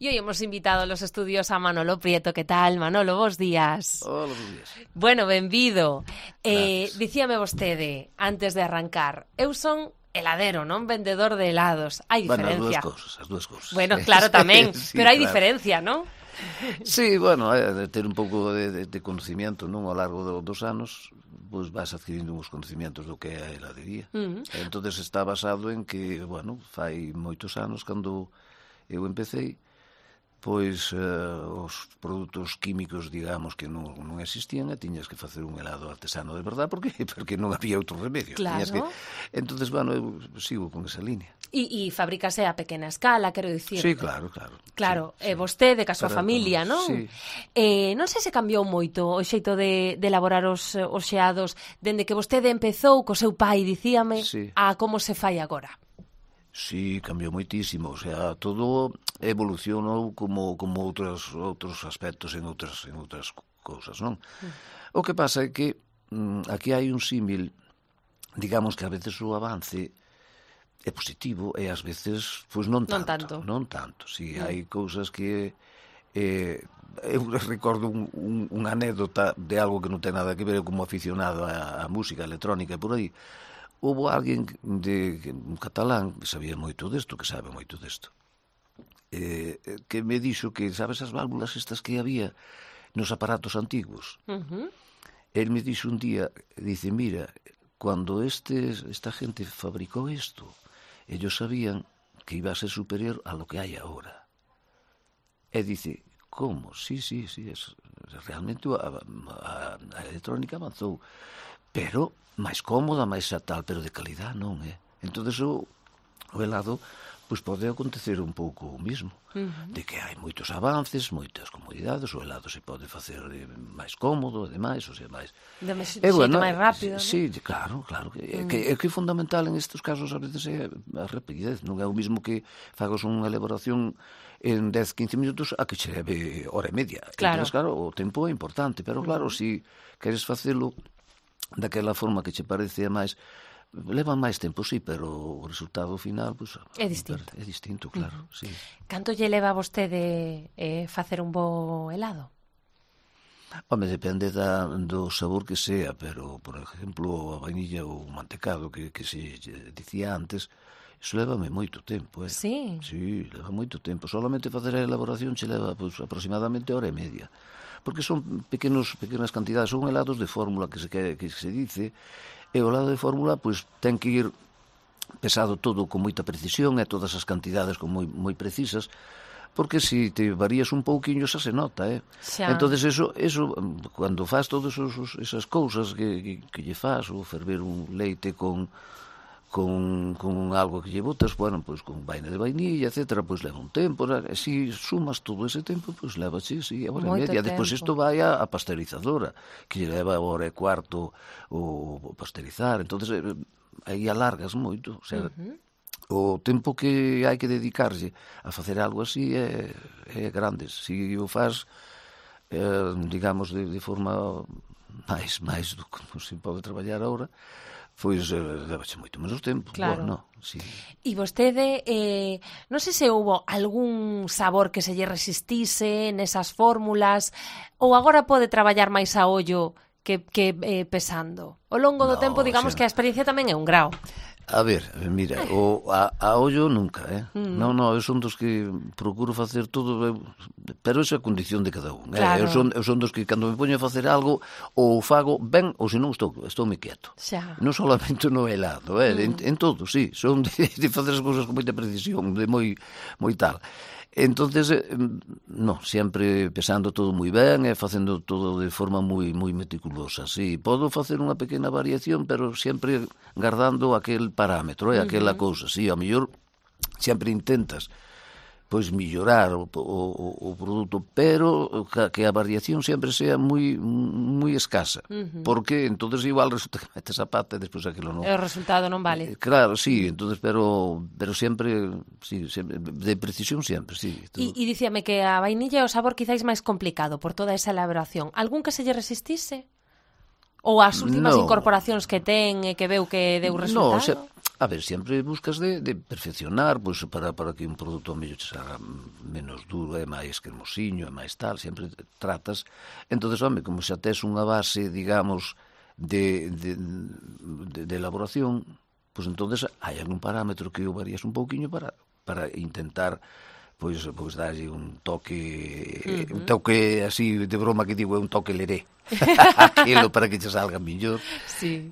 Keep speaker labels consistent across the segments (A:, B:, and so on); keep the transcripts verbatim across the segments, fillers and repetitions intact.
A: Y hoy hemos invitado a los estudios a Manolo Prieto. ¿Qué tal, Manolo? Bos días.
B: Hola, bos días.
A: Bueno, benvido. Eh, dicíame vostede, antes de arrancar, eu son heladero, non vendedor de helados. Hai diferencia.
B: Bueno, as dúas cousas, as dúas cousas.
A: Bueno, claro, tamén,
B: sí,
A: pero hai
B: claro.
A: diferencia, non?
B: Sí, bueno, é de ter un pouco de, de, de conocimiento, non? Ao largo do, dos anos, pois vas adquirindo uns conocimientos do que é a heladería. Uh -huh. Entonces está basado en que, bueno, fai moitos anos cando eu empecé, pois uh, os produtos químicos, digamos, que non, non existían e tiñas que facer un helado artesano de verdad porque porque non había outro remedio.
A: Claro.
B: Que... Entonces, bueno, eu sigo con esa línea.
A: E, e fabricase a pequena escala, quero dicir.
B: Sí, claro, claro.
A: Claro,
B: sí,
A: e vostede, ca súa
B: Para,
A: familia, non?
B: Sí.
A: Eh, non sei se cambiou moito o xeito de, de elaborar os, os xeados dende que vostede empezou co seu pai, dicíame,
B: sí.
A: a como se fai agora.
B: Sí, cambiou moitísimo, o sea, todo evolucionou como como outros outros aspectos en outras en outras cousas, non? Mm. O que pasa é que mm, aquí hai un símil, digamos que a veces o avance é positivo e ás veces pois non tanto,
A: non tanto.
B: Non tanto, si sí, mm. hai cousas que eh eu recordo un, un, unha anécdota de algo que non ten nada que ver como aficionado á, á música electrónica e por aí. Houve alguén de un catalán que sabía moito desto, que sabe moito desto, eh, que me dixo que, sabes as válvulas estas que había nos aparatos antiguos? Uh -huh. El me dixo un día, dice, mira, cuando este, esta gente fabricó esto, ellos sabían que iba a ser superior a lo que hai ahora. E dice, como? Sí, sí, sí, es, realmente a, a, a electrónica avanzou, pero máis cómoda, máis a tal, pero de calidad non, é? Eh? Entón, o, o helado, pois pode acontecer un pouco o mismo, uh -huh. de que hai moitos avances, moitas comodidades, o helado se pode facer máis cómodo, e demais, ou sea, máis...
A: De xeito bueno, máis rápido,
B: sí, ¿no? Claro, claro, que, uh -huh. que, é que é fundamental en estes casos a veces é a rapidez, non é o mismo que fagas unha elaboración en dez, quince minutos a que che leve hora e media.
A: Claro.
B: Entón, claro, o tempo é importante, pero claro, uh -huh. se si queres facelo daquela forma que che parece a máis, leva máis tempo, sí, pero o resultado final pues,
A: é distinto.
B: É distinto, claro, uh -huh. sí.
A: Canto lle leva a vostede eh, facer un bo helado?
B: Home, depende da, do sabor que sea, pero, por exemplo, a vainilla ou o mantecado que, que se dicía antes, iso levame moito tempo, eh?
A: Sí?
B: Sí, leva moito tempo. Solamente facer a elaboración che leva pues, aproximadamente hora e media. Porque son pequenos pequenas cantidades, son helados de fórmula que se que, que se dice, e o helado de fórmula pois ten que ir pesado todo con moita precisión e todas as cantidades con moi moi precisas, porque se si te varías un pouquiño xa se nota, eh. Xa. Entonces eso eso cando fas todas esas cousas que que, que lle fas, ou ferver un leite con con, con algo que lle botas, bueno, pois con vaina de vainilla, etcétera, pois leva un tempo, e se sumas todo ese tempo, pois leva, sí, sí, a hora e media. Depois isto vai a, a pasteurizadora, que lle leva hora e cuarto o pasteurizar, entonces aí alargas moito, o sea, uh -huh. o tempo que hai que dedicarse a facer algo así é, é grande. Se o faz, eh, digamos, de, de forma máis, máis do que se pode traballar agora, pois eh, levaxe moito menos tempo.
A: Claro.
B: Bueno, sí.
A: E vostede, eh, non sei se houbo algún sabor que se lle resistise nesas fórmulas, ou agora pode traballar máis a ollo que, que eh, pesando? Ao longo do
B: no,
A: tempo, digamos, o sea, que a experiencia tamén é un grao.
B: A ver, mira, o, a, a ollo nunca, eh? Mm. Non, non, eu son dos que procuro facer todo, pero esa é a condición de cada un.
A: Claro.
B: Eh? Eu, son, eu son dos que cando me poño a facer algo, ou fago ben, ou se non estou, estou me quieto.
A: Xa.
B: Non solamente no helado, eh? Mm. en, en todo, sí, son de, de facer as cousas con moita precisión, de moi, moi tal. Entonces, no, sempre pesando todo moi ben e facendo todo de forma moi moi meticulosa. Sí, podo facer unha pequena variación, pero sempre guardando aquel parámetro, eh, aquela uh -huh. cousa. Sí, ao mellor sempre intentas pois mellorar o, o, o produto, pero que a variación sempre sea moi moi escasa, uh -huh. porque entonces igual resulta que metes a pata e despois aquilo non.
A: E o resultado non vale.
B: Eh, claro, sí, entonces pero pero sempre, sí, sempre de precisión sempre, sí.
A: E, e dicíame que a vainilla é o sabor quizáis máis complicado por toda esa elaboración. Algún que se lle resistise? Ou as últimas
B: no.
A: incorporacións que ten e que veu que deu resultado?
B: No, se, a ver, sempre buscas de, de perfeccionar, pois, para, para que un produto mellor se haga menos duro, é máis cremosiño, é máis tal, sempre tratas. Entonces, home, como xa tes unha base, digamos, de, de, de, de elaboración, pois entonces hai algún parámetro que o varías un pouquiño para, para intentar pois, pois darlle un toque uh-huh. un toque así de broma que digo, é un toque leré aquilo para que che salga millor.
A: Sí.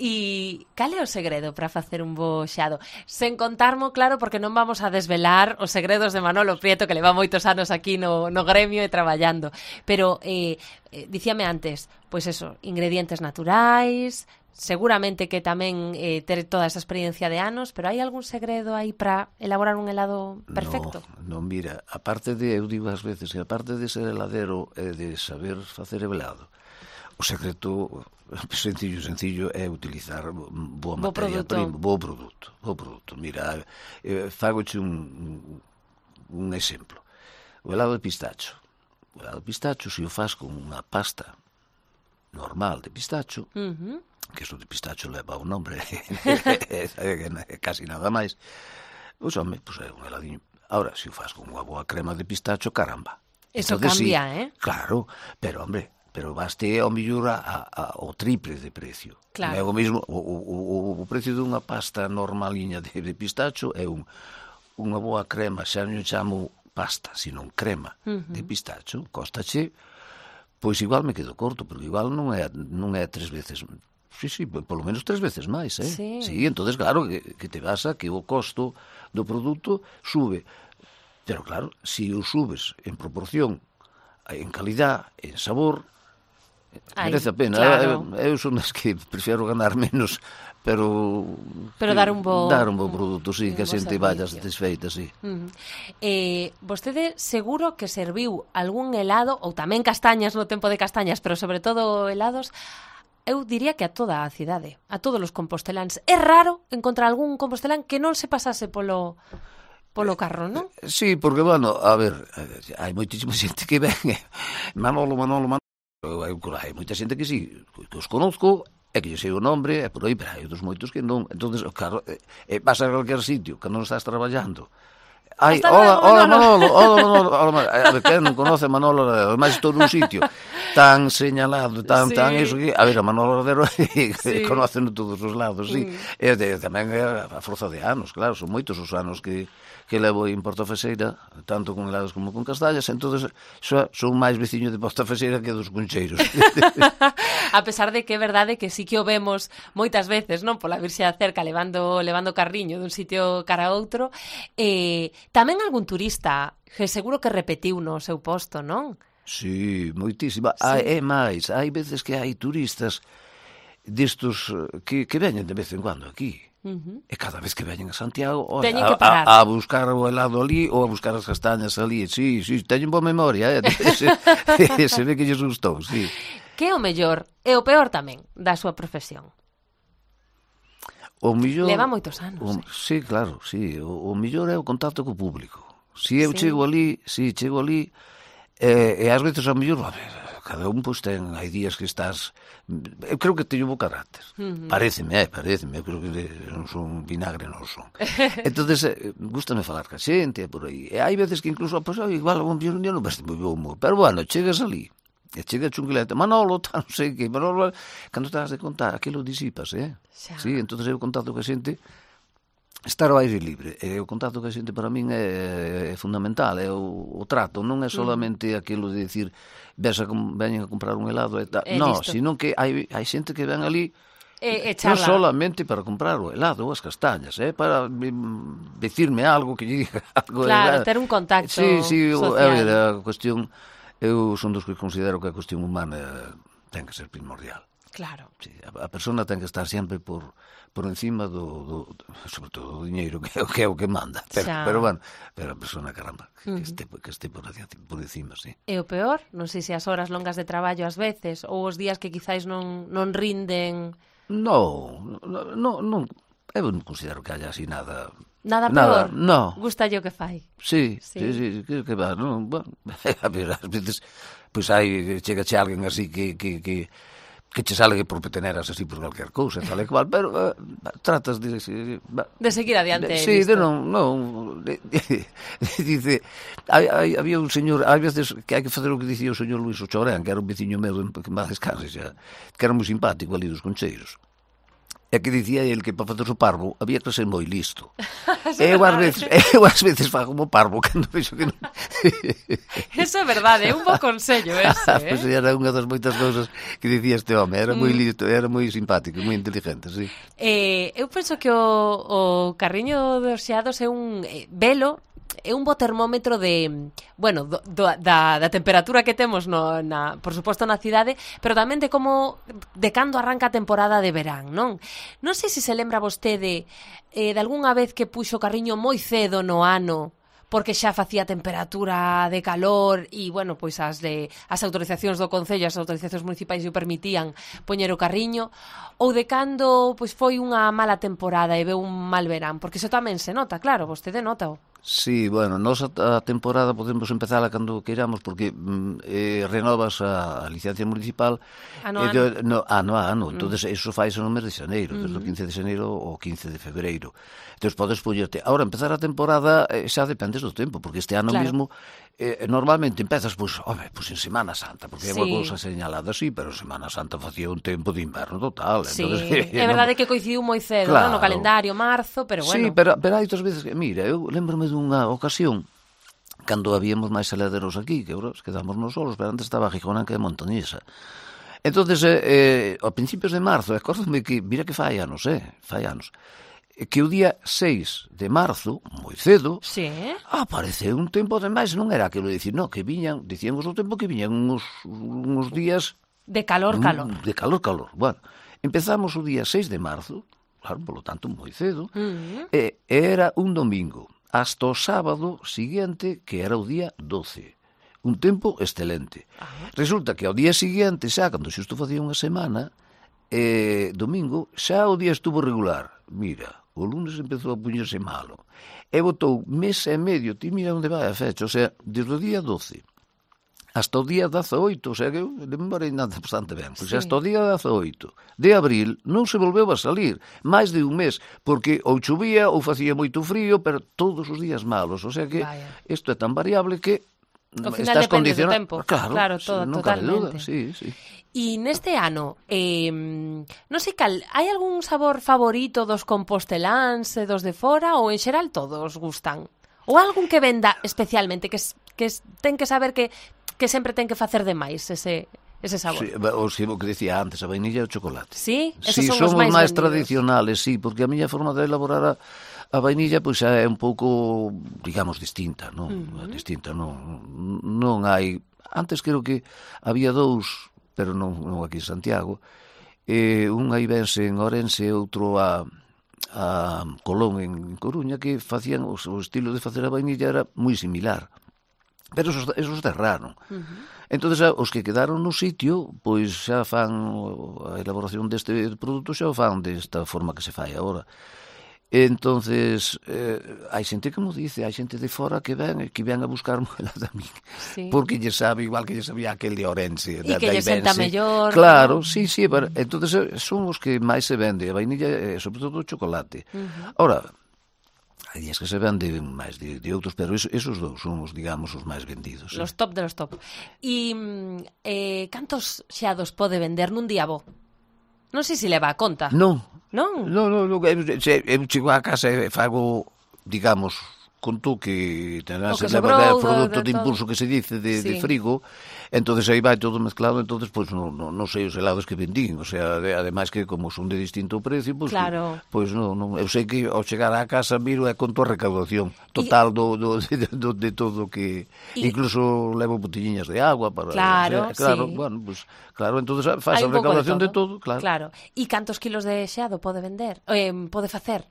A: E cal é o segredo para facer un bo xado? Sen contarmo, claro, porque non vamos a desvelar os segredos de Manolo Prieto, que leva moitos anos aquí no, no gremio e traballando, pero eh, eh, dicíame antes, pois eso, ingredientes naturais, seguramente que tamén eh, ter toda esa experiencia de anos, pero hai algún segredo aí para elaborar un helado perfecto?
B: No, no, mira, aparte de, eu digo ás veces, que aparte de ser heladero e de saber facer helado, o secreto sencillo, sencillo é utilizar boa
A: bo
B: materia
A: produto.
B: prima, bo produto, bo produto. Mira, eh, fagoche un, un exemplo. O helado de pistacho. O helado de pistacho, se o faz con unha pasta normal de pistacho, uh-huh. que isto de pistacho leva o nombre, casi nada máis, pois, home, pois é un heladiño. Ahora, se o faz con unha boa crema de pistacho, caramba.
A: Eso
B: entonces,
A: cambia,
B: sí,
A: eh?
B: Claro, pero, hombre, pero baste ao millor a, a, o triple de precio.
A: Claro.
B: É o mesmo, o, o, o precio dunha pasta normaliña de, de pistacho é un, unha boa crema, xa non chamo pasta, sino crema uh-huh. de pistacho, costache, pois igual me quedo corto, pero igual non é, non é tres veces, sí, sí, polo menos tres veces máis, eh?
A: Sí.
B: Sí, entonces claro, que, que te vas a que o costo do produto sube, pero claro, se o subes en proporción, en calidad, en sabor, Ay, merece a pena.
A: Claro.
B: Eu, eu son das que prefiero ganar menos, pero
A: pero dar un bo
B: dar un bo produto, sí, que a xente vaya
A: servicio.
B: satisfeita, sí.
A: Uh-huh. Eh, vostede seguro que serviu algún helado ou tamén castañas no tempo de castañas, pero sobre todo helados, eu diría que a toda a cidade, a todos os composteláns. É raro encontrar algún compostelán que non se pasase polo polo carro, non?
B: Sí, porque, bueno, a ver, hai moitísima xente que ven, Manolo, Manolo, Manolo, hai moita xente que sí, que os conozco, é que lle sei o nombre, é por aí, pero hai outros moitos que non. Entonces, claro, eh, vas a calquer sitio que non estás traballando. Ai, hola, hola Manolo, hola Manolo, hola Manolo. A ver, que non conoce Manolo Ladero, ademais estou nun sitio tan señalado, tan, sí. tan eso que, a ver, a Manolo Ladero sí. conocen todos os lados, sí. Mm. E de, tamén é a forza de anos, claro, son moitos os anos que que levo en Portafexeira, tanto con helados como con castañas, entonces xa son máis veciño de Portafexeira que dos Concheiros.
A: A pesar de que é verdade que sí que o vemos moitas veces, non, pola Virxe da Cerca levando levando carriño dun sitio cara a outro, eh, tamén algún turista que seguro que repetiu no seu posto, non?
B: Sí, moitísima. Sí. Hai, é máis, hai veces que hai turistas destos que, que veñen de vez en cuando aquí. Uh-huh. E cada vez que veñen a Santiago, oye, a, a, a buscar o helado ali ou a buscar as castañas ali, sí, sí, teñen boa memoria, eh? se, se ve que lles gustou, sí.
A: Que é o mellor e o peor tamén da súa profesión?
B: O millor...
A: Leva moitos anos.
B: O,
A: eh?
B: Sí, claro, sí, o, o millor é o contacto co público. Si eu
A: sí.
B: chego ali, si chego ali, e, e ás veces ao millor, a ver, cada un pois ten, hai días que estás, eu creo que teño bo carácter, uh-huh. pareceme, eh, pareceme, eu creo que non son vinagre, non son. Entonces, eh, gústame falar ca xente, por aí, e hai veces que incluso, pois, pues, igual, un día non veste moi bo humor, pero bueno, chegas ali, e chega chunguilete, Manolo, tal, non sei que, Manolo, cando estás de contar, aquilo disipas, eh? Xa. Sí, entonces eu contacto ca xente, estar ao aire libre, e o contacto que a xente para min é, é fundamental, é o, o trato, non é solamente mm. aquilo de dicir ves a, veñen a comprar un helado e tal, non, sino que hai, hai xente que ven ali
A: e, e
B: non solamente para comprar o helado ou as castañas, é eh, para mm, decirme algo que lle diga algo.
A: Claro, de, ter un contacto
B: sí, sí,
A: social.
B: A ver, a cuestión, eu son dos que considero que a cuestión humana ten que ser primordial.
A: Claro.
B: Sí, a, a persona ten que estar sempre por por encima do, do, do sobre todo do diñeiro que é o que, é o que manda, pero, pero bueno, pero a persona, caramba, que, uh-huh. que este que este por, por encima, sí.
A: E o peor, non sei se as horas longas de traballo ás veces ou os días que quizáis non non rinden.
B: No, no, no, non, eu non considero que haya así nada.
A: Nada peor?
B: Nada, no.
A: Gusta yo que fai?
B: Sí, sí, sí, sí que, que va, non, bueno, a ver, ás veces, pois pues hai, chegache alguén así que, que, que que che sale por peteneras así por calquer cousa, tal e cual, pero uh, tratas de...
A: De seguir adiante.
B: De, sí, de non... non de, de, de, dice, hai, hai, había un señor, hai veces que hai que facer o que dicía o señor Luís Ochorán, que era un veciño meu, que máis descanse xa, que era moi simpático ali dos Concheiros. E que dicía el que para facer o parvo había que ser moi listo. E eu ás veces, eu ás veces fago como parvo cando vexo que non...
A: Eso é verdade, é un bo consello ese, eh?
B: Pois era unha das moitas cousas que dicía este home, era moi listo, era moi simpático, moi inteligente, sí.
A: Eh, eu penso que o, o carriño dos xeados é un eh, velo, é un bo termómetro de, bueno, do, do, da, da temperatura que temos no, na, por suposto na cidade, pero tamén de como de cando arranca a temporada de verán, non? Non sei se se lembra vostede eh, de algunha vez que puxo o carriño moi cedo no ano porque xa facía temperatura de calor e, bueno, pois as de as autorizacións do Concello, as autorizacións municipais o permitían poñer o carriño, ou de cando pois foi unha mala temporada e veu un mal verán, porque iso tamén se nota, claro, vostede nota-o.
B: Sí, bueno, nos a, a temporada podemos empezala cando queiramos porque mm, eh, renovas a, a licencia municipal
A: ano,
B: eh, de, no, ano a ano, mm. entonces eso faise no mes de xaneiro,
A: mm.
B: desde o quince de xaneiro ao quince de febreiro. Entón podes poñerte. Ahora, empezar a temporada eh, xa dependes do tempo, porque este ano claro. mesmo eh, normalmente empezas, pois, home, pois en Semana Santa, porque é sí. unha cousa señalada así, pero en Semana Santa facía un tempo de inverno total.
A: Sí,
B: entonces,
A: é verdade no... que coincidiu moi cedo, claro. no? no calendario, marzo, pero bueno.
B: Sí, pero, pero hai outras veces que, mira, eu lembro-me dunha ocasión, cando habíamos máis heladeros aquí, que ahora quedamos nos solos, pero antes estaba Gijona que é Montañesa. Entonces, eh, eh, a principios de marzo, acórdame que, mira que fai anos, eh, fai anos, que o día seis de marzo, moi cedo,
A: sí.
B: apareceu un tempo demais, non era aquilo de dicir, no, que viñan, dicíamos o tempo que viñan uns, uns días...
A: De calor, calor.
B: De calor, calor. Bueno, empezamos o día seis de marzo, claro, polo tanto, moi cedo, uh-huh. e era un domingo, hasta o sábado seguinte, que era o día doce. Un tempo excelente. Uh-huh. Resulta que ao día seguinte, xa, cando xusto facía unha semana, eh, domingo, xa o día estuvo regular. Mira, o lunes empezou a puñerse malo. E botou mes e medio, ti mira onde vai a fecha, o sea, desde o día doce hasta o día dezaoito, o sea que eu de memoria nada bastante ben, pois sí. hasta o día dezaoito de abril non se volveu a salir, máis de un mes, porque ou chovía ou facía moito frío, pero todos os días malos, o sea que isto é tan variable que
A: ao final depende do tempo.
B: Claro,
A: claro todo,
B: non
A: totalmente.
B: Duda, sí, sí.
A: E neste ano, eh, non sei cal, hai algún sabor favorito dos composteláns e dos de fora ou en xeral todos gustan? Ou algún que venda especialmente, que, que ten que saber que, que sempre ten que facer de máis ese, ese sabor?
B: Sí, o que decía antes, a vainilla e o chocolate.
A: Sí?
B: Esos sí,
A: son
B: somos
A: máis,
B: máis
A: vendidos.
B: tradicionales, sí, porque a miña forma de elaborar a A vainilla pois é un pouco, digamos, distinta, non? Uh-huh. Distinta, non, non hai... Antes creo que había dous, pero non, non aquí en Santiago. Eh, un aí vense en Ourense e outro a, a Colón en Coruña, que facían, o, o estilo de facer a vainilla era moi similar. Pero esos, esos derraron. Uh-huh. Entonces, os que quedaron no sitio, pois xa fan a elaboración deste produto, xa o fan desta forma que se fai agora. Entonces, eh, hai xente que mo dice, hai xente de fora que ven que ven a buscar moelas a mí, sí. porque lle sabe igual que lle sabía aquel de Ourense,
A: e que lle senta mellor.
B: Claro, ¿no? sí, sí, pero, entonces son os que máis se vende, a vainilla e sobre todo o chocolate. Uh-huh. Ahora, hai días que se vende máis de, de outros, pero esos, esos dous son os, digamos, os máis vendidos.
A: Los sí. top de los top. E eh, cantos xeados pode vender nun día bo? Non sei se leva a conta.
B: Non.
A: Non?
B: Non, non, non. Eu, eu chego a casa e fago, digamos, conto que tenás
A: que
B: leva o produto
A: de, de
B: de impulso que se dice de,
A: sí.
B: de frigo, entonces aí vai todo mezclado, entonces pois pues, non no, no sei os helados que vendín, o sea, de, ademais que como son de distinto precio, pois pues,
A: claro.
B: pois pues, non, non, eu sei que ao chegar á casa miro e conto a recaudación total y... do, do, de, do, de todo que y... incluso levo botelliñas de agua para
A: claro,
B: o sea, claro,
A: sí.
B: bueno, pues claro, entonces faz a recaudación de todo, de todo claro.
A: Claro. E cantos kilos de xeado pode vender? Eh, pode facer?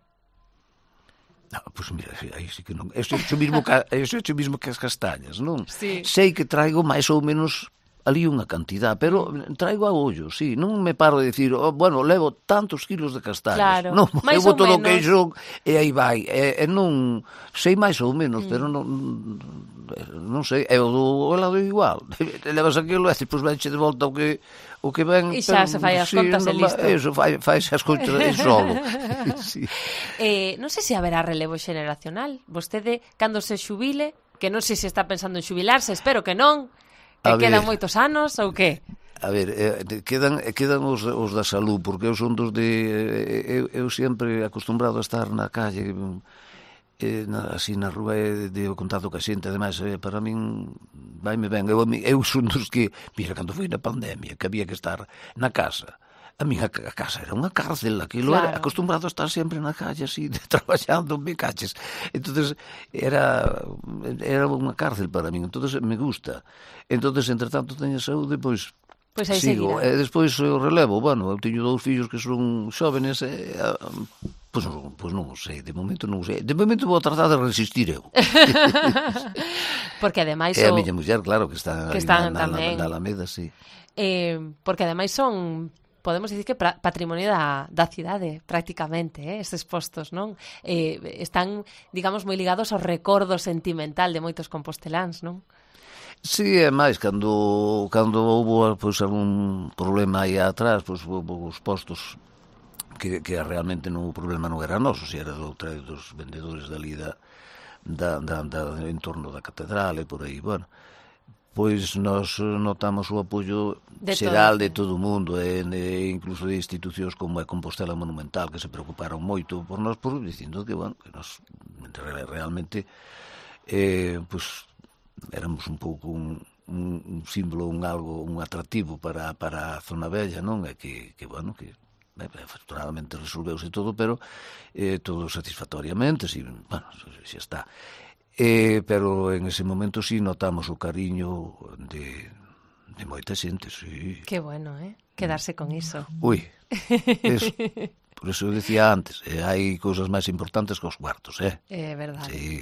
B: No, pois pues mira, aí sí que non. Eso é o mismo que, eso é o mismo que as castañas, non?
A: Sí.
B: Sei que traigo máis ou menos ali unha cantidad, pero traigo a ollo, sí, non me paro de dicir, oh, bueno, levo tantos kilos de castañas.
A: Claro,
B: Non,
A: máis
B: eu
A: ou
B: boto no
A: menos.
B: queixón e aí vai. E, e non sei máis ou menos, mm. pero non non sei, é o do helado igual. Levas aquilo e depois venche de volta o que o que ven,
A: e xa
B: pero,
A: se fai as
B: sí,
A: contas e
B: non,
A: listo.
B: Eso, fai, fai as contas e solo. Sí.
A: Eh, non sei se haberá relevo xeneracional. Vostede, cando se xubile, que non sei se está pensando en xubilarse, espero que non, que
B: A
A: quedan
B: ver.
A: moitos anos ou que?
B: A ver, eh, quedan, quedan os, os da salud, porque eu son dos de... Eu, eu sempre acostumbrado a estar na calle, eh, na, así na rúa, e de, de contacto ca xente, ademais, eh, para min vai-me ben. Eu, eu son dos que, mira, cando foi na pandemia, que había que estar na casa, a minha casa era unha cárcel, aquilo
A: Claro.
B: era acostumbrado a estar sempre na calle así, de, traballando, me caches. Entonces era era unha cárcel para min, entonces me gusta. Entonces, entre tanto, teño saúde, pois
A: Pois aí
B: sigo.
A: seguirá.
B: E despois o relevo, bueno, eu teño dous fillos que son xóvenes, e, eh, pois, pois non o sei, de momento non o sei. De momento vou tratar de resistir eu.
A: Porque ademais
B: E a
A: o...
B: miña muller, claro, que está
A: Que
B: aí
A: están
B: na, na,
A: tamén.
B: na Alameda, sí.
A: Eh, porque ademais son, podemos dicir que pra, patrimonio da, da cidade, prácticamente, eh, estes postos, non? Eh, están, digamos, moi ligados ao recordo sentimental de moitos composteláns, non?
B: Sí, é máis, cando, cando houve pois, algún problema aí atrás, pois, os postos que, que realmente non, o problema non era noso, si era do, dos vendedores dali da, da, da, da, en torno da catedral e por aí, bueno, pois nos notamos o apoio
A: de
B: xeral
A: todo.
B: de todo o mundo, e, e incluso de institucións como a Compostela Monumental, que se preocuparon moito por nós, por dicindo que, bueno, que nos realmente eh, pois éramos un pouco un, un, un símbolo, un algo, un atractivo para, para a zona bella, non? E que, que bueno, que eh, afortunadamente resolveuse todo, pero eh, todo satisfactoriamente, si, bueno, xa está. Eh, pero en ese momento sí notamos o cariño de, de moita xente, sí.
A: Que bueno, eh? Quedarse con iso.
B: Ui, eso. Por eso eu decía antes, eh, hai cousas máis importantes que os cuartos, eh?
A: É verdade.
B: Sí.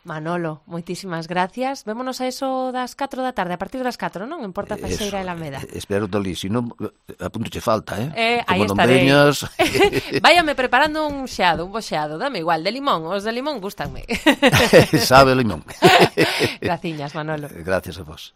A: Manolo, moitísimas gracias. Vémonos a eso das catro da tarde, a partir das catro, non? En Porta Faxeira e Alameda.
B: Eh, espero talí, se non, apunto che falta, eh?
A: Eh, aí
B: Como non
A: estarei.
B: veñas...
A: Váyame preparando un xeado, un bo xeado, dame igual, de limón, os de limón gústanme.
B: Sabe o limón.
A: Graciñas, Manolo.
B: Gracias a vos.